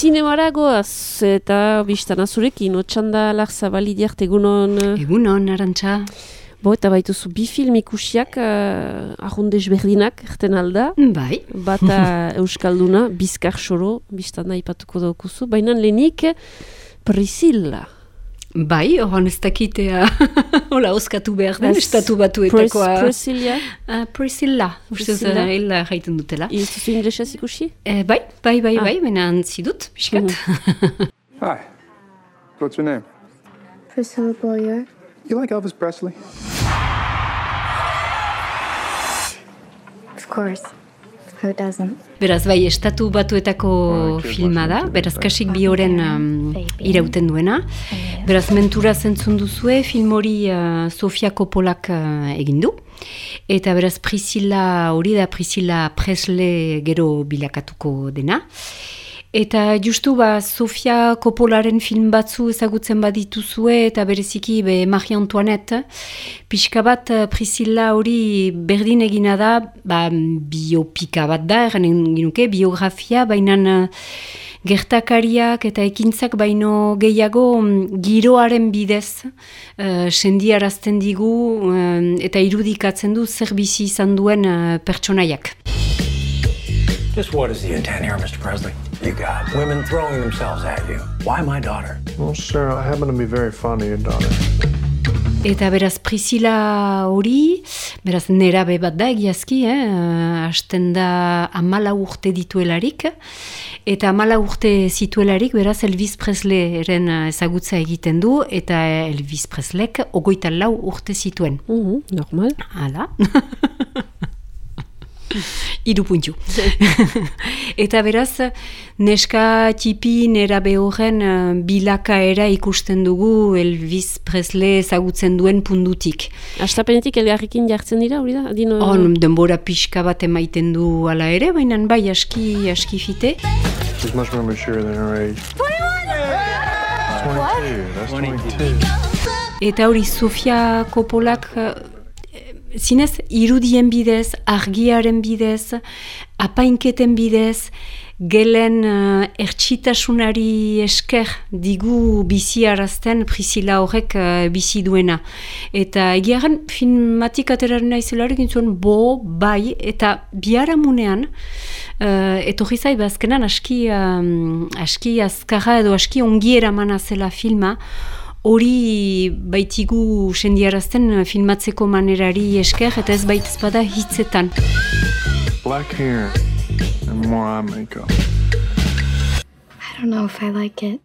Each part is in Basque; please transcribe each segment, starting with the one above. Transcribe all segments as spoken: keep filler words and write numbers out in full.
Zinemara goaz eta biztana zurekin, Otsanda Larzabali diart egunon. Egunon, Arantxa. Bo, eta baituzu bi film ikusiak uh, ahondez berdinak, erten alda. Bai. Bata Euskalduna, Bizkar Xoro, biztana ipatuko daukuzu. Baina lehenik, Priscilla. Bai, horan ez dakitea, hola, oskatu behar den, estatu batuetakoa. Priscilla? Uh, Priscilla, ustez hila jaiten dutela. Izuzu inglesez ikusi? Eh, bai, bai, bai, bai, baina antzidut, biskat. Mm-hmm. Hi, what's your name? Priscilla Boyer. You like Elvis Presley? Of course. Who doesn't? Beraz, bai, estatu batuetako filma da, beraz, kasik bi horen um, irauten duena. Beraz, mentura zentzun duzue, film hori uh, Sofia Coppolak uh, egin du. Eta beraz, Priscilla hori da, Priscilla Presley gero bilakatuko dena. Eta justu ba, Sofia Coppolaren film batzu ezagutzen badituzue eta bereziki be Marie Antoinette, pixka bat Priscilla hori berdin egina da, ba, biopika bat da, erren ginuke, biografia, baina gertakariak eta ekintzak baino gehiago giroaren bidez uh, sendiarazten digu uh, eta irudikatzen du zer bizi izan duen uh, pertsonaiak. Just what is the intent here, Mister Presley? You got women throwing themselves at you. Why my daughter? Well, sir, I happen to be very fond of your daughter. Eta beraz Priscilla hori, beraz nerabe bat da egiazki, eh? Hasten da amala urte dituelarik, eta amala urte zituelarik, beraz Elvis Presleyren ezagutza egiten du, eta Elvis Presleyk ogoita lau urte zituen. Mm-hmm, normal. Hala. Iru puntu. Eta beraz, neska tipi nerabe horren uh, bilakaera ikusten dugu Elvis Presley ezagutzen duen pundutik. Astapenetik elgarrikin jartzen dira, hori da? Dino... On, denbora pixka bat emaiten du ala ere, baina bai aski, aski fite. She's much more mature than her age. twenty-one! That's twenty-two. Eta hori Sofia Coppolak uh, zinez, irudien bidez, argiaren bidez, apainketen bidez, gelen uh, ertsitasunari esker digu biziarazten Priscilla horrek uh, bizi duena. Eta egiaren filmatik ateraren naizelarik intzuen, bo, bai, eta biharamunean, uh, etorri zai bazkenan aski, um, aski azkarra edo aski ongiera mana zela filma, hori baitigu sendiarazten filmatzeko manerari esker eta ez baitez bada hitzetan. Black hair and more eye makeup. I don't know if I like it.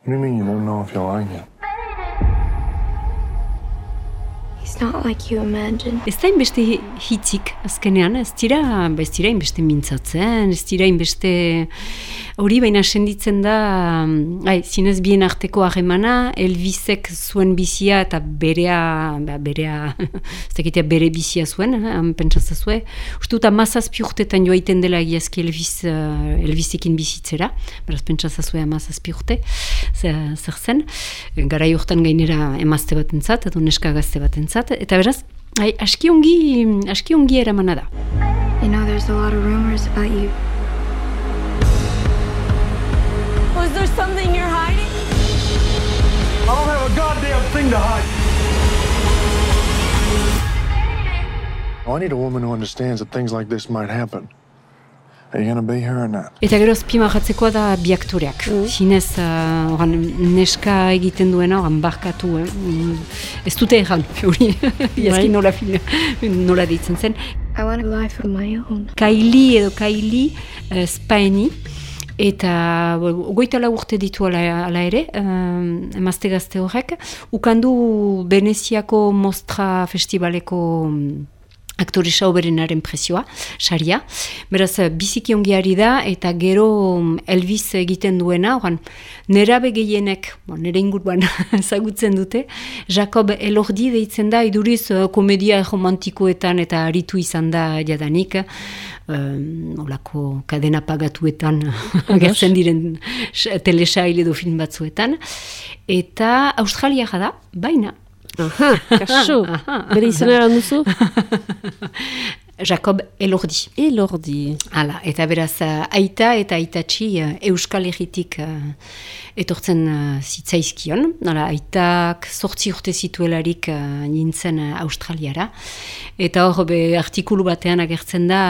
What do you mean you don't know if you like it? He's not like you imagine. Ez da inbeste hitzik azkenean, ez dira, ez dira inbeste mintzatzen, ez dira inbeste hori baina senditzen da, ai, zinez bien arteko harremana, Elvisek zuen bizia eta berea, berea, ez dakitea bere bizia zuen, eh, pentsatzazue. Uste dut amazazpi urtetan joaiten dela egiazki Elvis, uh, Elvisekin bizitzera, beraz pentsatzazue amazazpi urte, zer zen, garai urtan gainera emazte bat entzat, edo neska gazte bat entzat, eta beraz, ai, aski ongi, aski ongi eramana da. You know, there's a lot of rumors about you. Was there something you're hiding? I don't have a goddamn thing to hide. Oh, I need a woman who understands that things like this might happen. Are you gonna be here or not? Eta gero azpimarratzekoa da bi aktoreak. Mm. Zinez, uh, oran, neska egiten duena, oran barkatu, eh? Ez dute erran, hori, iazki nola, nola deitzen zen. I want a life of my own. Kylie edo Kylie uh, Spaeni, eta goita lau urte ditu ala, ala ere, um, emazte gazte horrek, ukandu Veneziako Mostra Festivaleko um, aktore sauberenaren prezioa, saria. Beraz, biziki ongiari da, eta gero Elvis egiten duena, oran, nerabe gehienek, bon, nere inguruan ezagutzen dute, Jacob Elordi deitzen da, iduriz komedia romantikoetan eta aritu izan da jadanik, um, olako kadena pagatuetan agertzen diren telesail edo film batzuetan, eta Australia da, baina Aha, kaso. Bere izena eran duzu? Jakob Elordi. Elordi. Hala, eta beraz, uh, aita eta aitatxi uh, Euskal Herritik uh, etortzen uh, zitzaizkion. Hala, aitak sortzi urte zituelarik uh, nintzen uh, Australiara. Eta hor, be, artikulu batean agertzen da,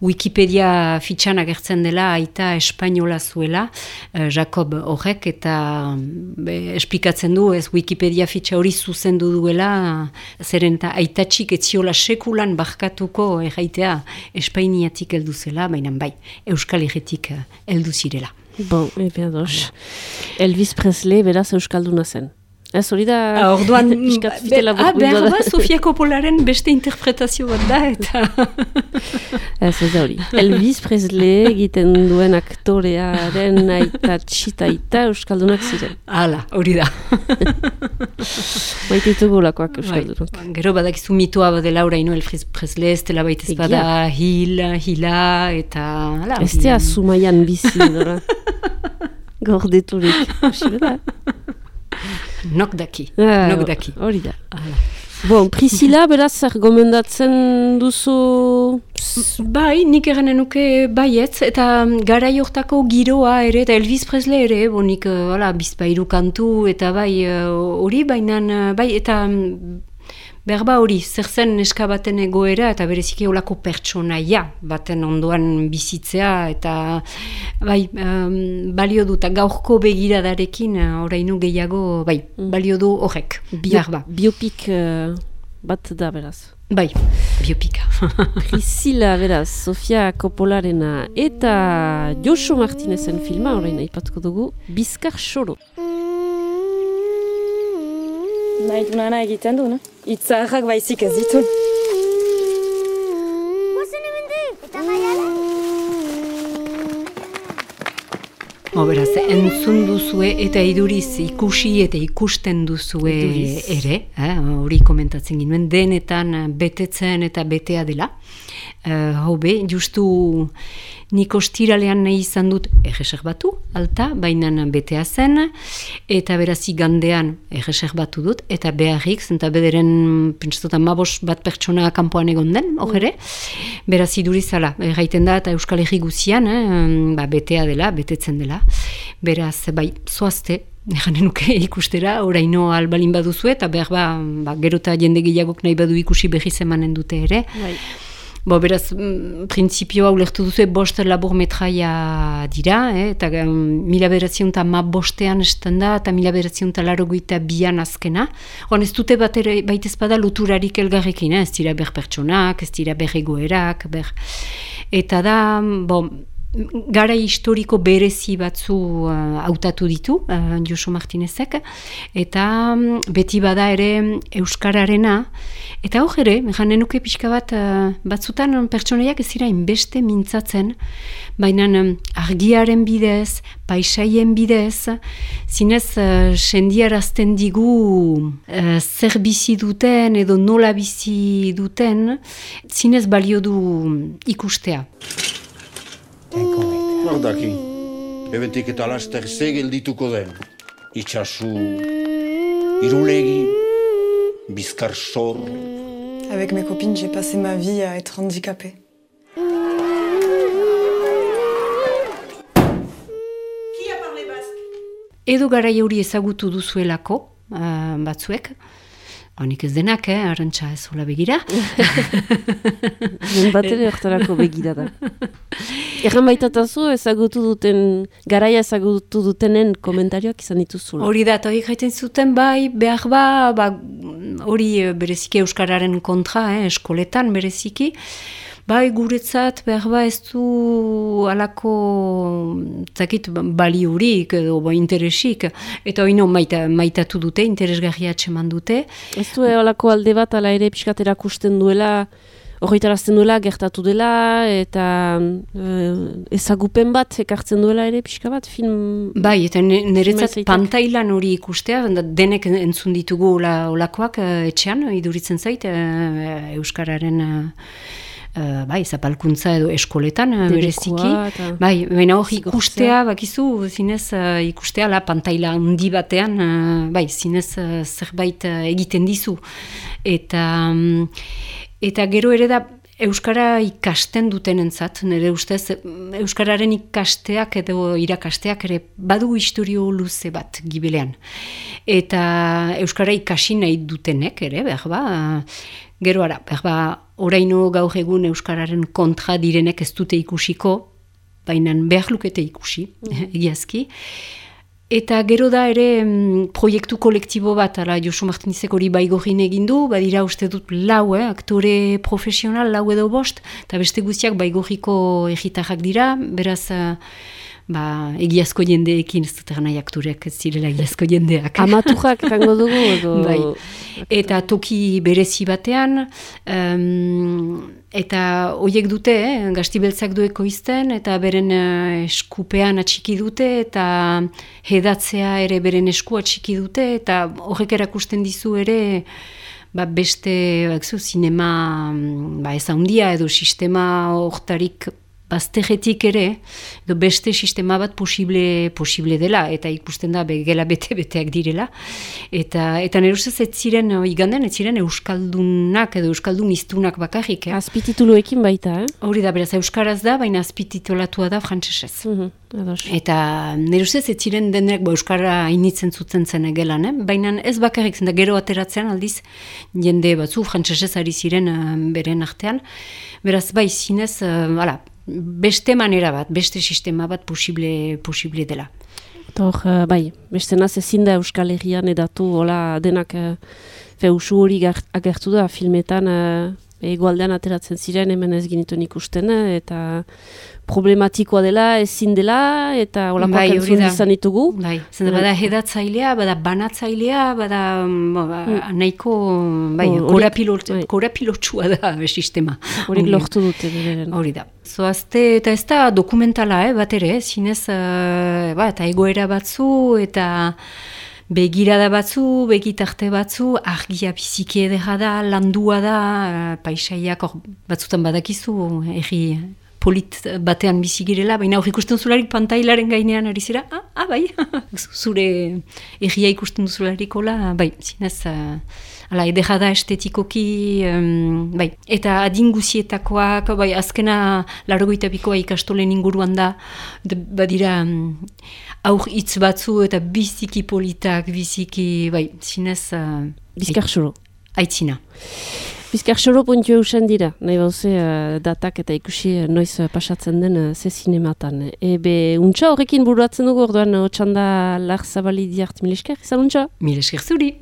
Wikipedia fitxan agertzen dela, aita espainola zuela, uh, Jakob horrek, eta be, esplikatzen du, ez Wikipedia fitxa hori zuzendu duela, uh, zeren eta aitatxik etziola sekulan barkatuko erraitea Espainiatik heldu zela, baina bai, Euskal Herritik heldu zirela. Bon, ebe ados. Elvis Presley beraz Euskalduna zen. Ez hori da... Orduan, fitela ah, behar ba, Sofia Coppolaren beste interpretazio bat da, eta... Ez ez da hori. Elvis Presley egiten duen aktorearen aita txitaita Euskaldunak ziren. Hala, hori da. Baita ditugu lakoak Euskaldunok. Bai, gero badakizu mitoa badela oraino Elvis Presley, ez dela baita ez bada hil, hila, eta... Hala, ez dea Zumaian bizi, dora. Gordeturik. Hori da. Nok daki, ah, nok daki. Hori da. Bon, Priscilla, beraz, zer gomendatzen duzu... Bai, nik eranen nuke baietz, eta garai hortako giroa ere, eta Elvis Presley ere, bo nik, hala, bizpairu kantu, eta bai, hori, bainan, bai, eta... Berba hori, zer zen neska baten egoera eta bereziki olako pertsonaia baten ondoan bizitzea eta bai, um, balio du eta gaurko begiradarekin orainu gehiago, bai, balio du horrek. Bio, biopik uh, bat da beraz. Bai, biopika. Priscilla beraz, Sofia Coppolarena eta Josu Martinezen filma, orain aipatuko dugu, Bizkar Xoro. Nahi du nana egiten du, no? Itzaharrak baizik ez ditu. Ho, beraz, entzun duzue eta iduriz ikusi eta ikusten duzue iduriz. Ere, hori eh, komentatzen ginuen, denetan betetzen eta betea dela. Uh, hau be, justu nik ostiralean nahi izan dut erreserbatu, alta, bainan betea zen, eta beraz igandean erreserbatu dut, eta beharrik, zenta bederen, pentsatzen mabos bat pertsona kanpoan egon den, hor ere, beraz idurizala, erraiten da, eta Euskal Herri guzian, eh, ba, betea dela, betetzen dela, beraz, bai, zoazte, Eganen nuke ikustera, oraino albalin baduzu, eta behar ba, ba gerota jende gehiagok nahi badu ikusi behiz emanen dute ere. Bai. Bo, beraz, printzipioa ulertu duzu, bost labur metraia dira, eh, eta um, mila bederatzion eta ma bostean estan da, eta mila bederatzion eta laro goita bian azkena. Hon ez dute bat ere, baitez bada loturarik elgarrekin, eh? Ez dira ber pertsonak, ez dira ber egoerak, ber... Eta da, bo... Gara historiko berezi batzu hautatu uh, ditu, uh, Josu Martinezek, eta um, beti bada ere Euskararena, eta hor ere, janen nuke pixka bat, uh, batzutan pertsonaiak ez dira inbeste mintzatzen, baina um, argiaren bidez, paisaien bidez, zinez uh, sendiarazten digu uh, zer bizi duten edo nola bizi duten, zinez balio du ikustea. Nor daki, ebentik eta laster ze geldituko den. Itxasu, irulegi, Bizkar Xoro. Avec mes copines, j'ai passé ma vie à être handicapée. Qui a parlé basque? Edo garai hori ezagutu duzuelako, uh, batzuek, honik ez denak, eh, arrantxa ez hola begira. Den bat ere hortarako begira da. Erran baitatazu ezagutu duten, garaia ezagutu dutenen komentarioak izan dituzula. Hori da, eta hori gaiten zuten bai, behar ba, ba hori bereziki Euskararen kontra, eh, eskoletan bereziki, bai guretzat behar ba ez du alako zakit baliurik edo ba, interesik, eta hori no maita, maitatu dute, interesgarria atseman dute. Ez du alako alde bat ala ere pixkat erakusten duela, horretarazten duela, gertatu dela, eta uh, ezagupen bat ekartzen duela ere pixka bat, film... Bai, eta niretzat pantailan hori ikustea, denek entzun ditugu olakoak etxean, iduritzen zait, uh, Euskararen... Uh, uh, bai, zapalkuntza edo eskoletan, uh, bereziki. Eta... Bai, baina hor ikustea, bakizu, zinez uh, ikustea, la pantaila handi batean, uh, bai, zinez uh, zerbait uh, egiten dizu. Eta, um, eta gero ere da, Euskara ikasten dutenentzat, nire ustez, Euskararen ikasteak edo irakasteak ere badu historio luze bat gibilean. Eta Euskara ikasi nahi dutenek ere, behar ba, gero ara, behar ba, oraino gaur egun Euskararen kontra direnek ez dute ikusiko, baina behar lukete ikusi, mm. egiazki. Eta gero da ere mm, proiektu kolektibo bat, ala Josu Martinizek hori baigorin egindu, badira uste dut lau, eh, aktore profesional, lau edo bost, eta beste guztiak baigoriko egitarrak dira, beraz, uh, ba, egiazko jendeekin, ez dut nahi aktoreak ez zirela egiazko jendeak. Amaturrak erango dugu edo... Bai. Eta toki berezi batean, um, eta horiek dute, eh, gaztibeltzak dueko izten, eta beren uh, eskupean atxiki dute, eta hedatzea ere beren esku atxiki dute, eta horrek erakusten dizu ere, ba, beste bakzu, zinema ba, ez handia edo sistema hortarik bazterretik ere, edo beste sistema bat posible, posible dela, eta ikusten da begela bete-beteak direla. Eta, eta nire ustez ez ziren, iganden, ez ziren euskaldunak edo euskaldun iztunak bakarrik. Eh? Azpitituluekin baita, eh? Hori da, beraz, euskaraz da, baina azpititulatua da frantsesez. Mm-hmm. Eta nire ustez ez ziren denek bo, euskara initzen zuten zen egelan, eh? Baina ez bakarrik zen da gero ateratzean aldiz jende batzu frantsesez ari ziren uh, beren artean. Beraz, bai, zinez, uh, ala, beste manera bat, beste sistema bat posible, posible dela. Hor, uh, bai, beste naz ezin da Euskal Herrian edatu, hola, denak uh, feusu hori agertu da filmetan, uh, egoaldean ateratzen ziren, hemen ez ginituen ikusten, eta problematikoa dela, ezin dela, eta holakoak bai, entzun izan ditugu. Bai, zen bada hedatzailea, bada banatzailea, bada bo, ba, mm. nahiko bai, oh, korapilotsua bai. Da sistema. Horik lortu dute. Hori da. Zoazte, eta ez da dokumentala, eh, bat ere, zinez, uh, ba, eta egoera batzu, eta begirada batzu, begitarte batzu, argia biziki edera da, landua da, paisaiak or, batzutan badakizu, erri polit batean bizi girela, baina hor ikusten zularik pantailaren gainean ari zira, ah, ah bai, zure erria ikusten zularik hola, bai, zinez, uh, ala, edera da estetikoki, um, bai, eta adinguzietakoak, bai, azkena largoita bikoa ikastolen inguruan da, de, badira, um, aur hitz batzu eta biziki politak, biziki, bai, zinez... Uh, Bizkarxoro. Aitzina. Bizkarxoro puntu eusen dira, nahi bauze uh, datak eta ikusi uh, noiz uh, pasatzen den uh, ze zinematan. Ebe, untxa horrekin buruatzen dugu, orduan, uh, otxanda lar zabali diart, mil esker, izan untxa? Mil esker zuri.